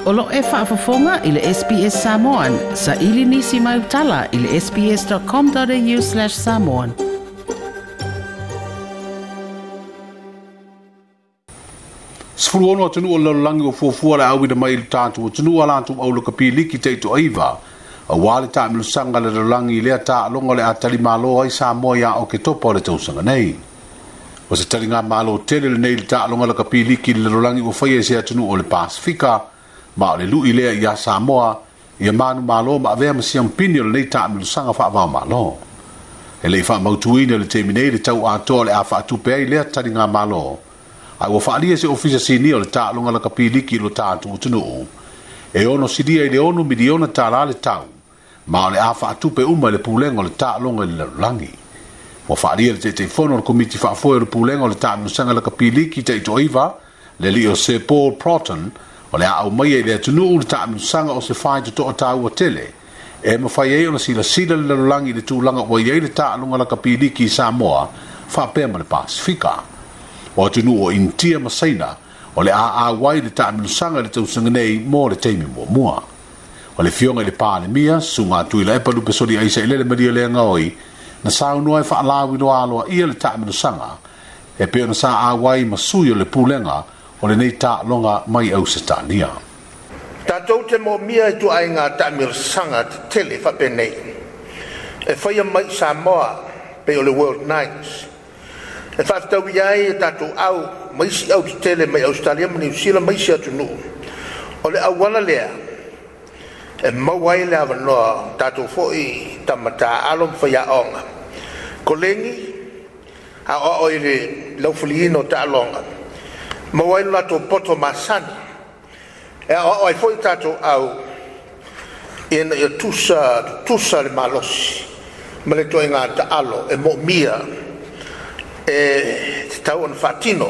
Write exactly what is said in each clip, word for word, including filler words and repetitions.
O lo e faafofoga i le S B S Samoan, sa ili nisi mai utala i le sbs.com.au slash samoan. Sefulu ono atunuu o le lalolagi ua fuafua le auina mai i le tatou atunuu a latou aulakapiliki taitoaiva auā le taamilosaga le lalolagi i lea taaloga o le a talimālō ai Samoa iā Oketopa o le tausaga nei. O se taliga malo tele lenei i le taaloga lakapiliki i le lalolagi ua faia i se atunuu o le Pasifika, ma o le lui lea iā Samoa ia manumālō ma avea ma siampini o lenei taamilosaga faavaomālō. E le'i faamautuina le taimi nei le tau atoa o le a faatupe ai lea taliga malo, ae ua faalia se ofisa sinia o le taaloga lakapiliki i lo tatou atunuu e ono silia i le ono miliona tālā le tau, ma o le a faatupe uma i le pulega o le taaloga i le lalolagi. Ua faalia le Taitaifono o le Komiti Faafoe o le Pulega o le Taamilosaga Lakapiliki taitoaiva le alii o Sir Paul Proton o le a aumaia i le atunuu le taamilosaga o se faitotoa taua tele e mafai ai ona silasila le lalolagi i le tulaga ua i ai le taaloga lakapiliki i Samoa faapea ma le Pasifika. O atunuu o Initia ma Saina o le a auai le taamilosaga i le tausaga nei mo le taimi muamua. O le fioga i le Palemia, Susuga Tuilaepa Lupesoli Aisailele Maria Leagaoi, na saunoa e faalauiloa aloaia le taamilosaga e pei ona sa auai ma sui o le pulega o lenei taaloga mai Ausetalia. Tatou te moomia i tuaiga taamilosaga tetele faapenei e faia mai i Samoa pei o le World Nights e faafetaui ai e tatou au ma isi au tetele mai Australia ma Niu Sila ma isi atunuu. O le auala lea e maua ai le avanoa tatou foi tamatā alo ma faiaoga kolegi aoao i le laufaliina o taaloga maua ai lo latou poto masani e aoao ai foi tatou au ina ia tusa tutusa le malosi ma le toaiga taalo e moomia e tatau ona faatino.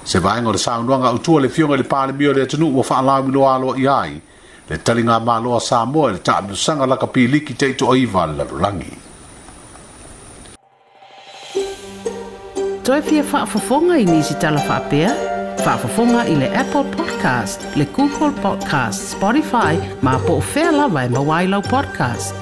Se vaega o le saunoaga autua le fioga i le Palemia o le atunuu ua faalauiloa aloaia ai le taliga malo a Samoa i le taamilosaga lakapiliki taitoaiva a le lalolagi. Toe fia faafofoga i nisi tala faapea? Faafofoga i le Apple Podcast, le Google Podcast, Spotify, ma po o fea lava e maua ai lau podcast.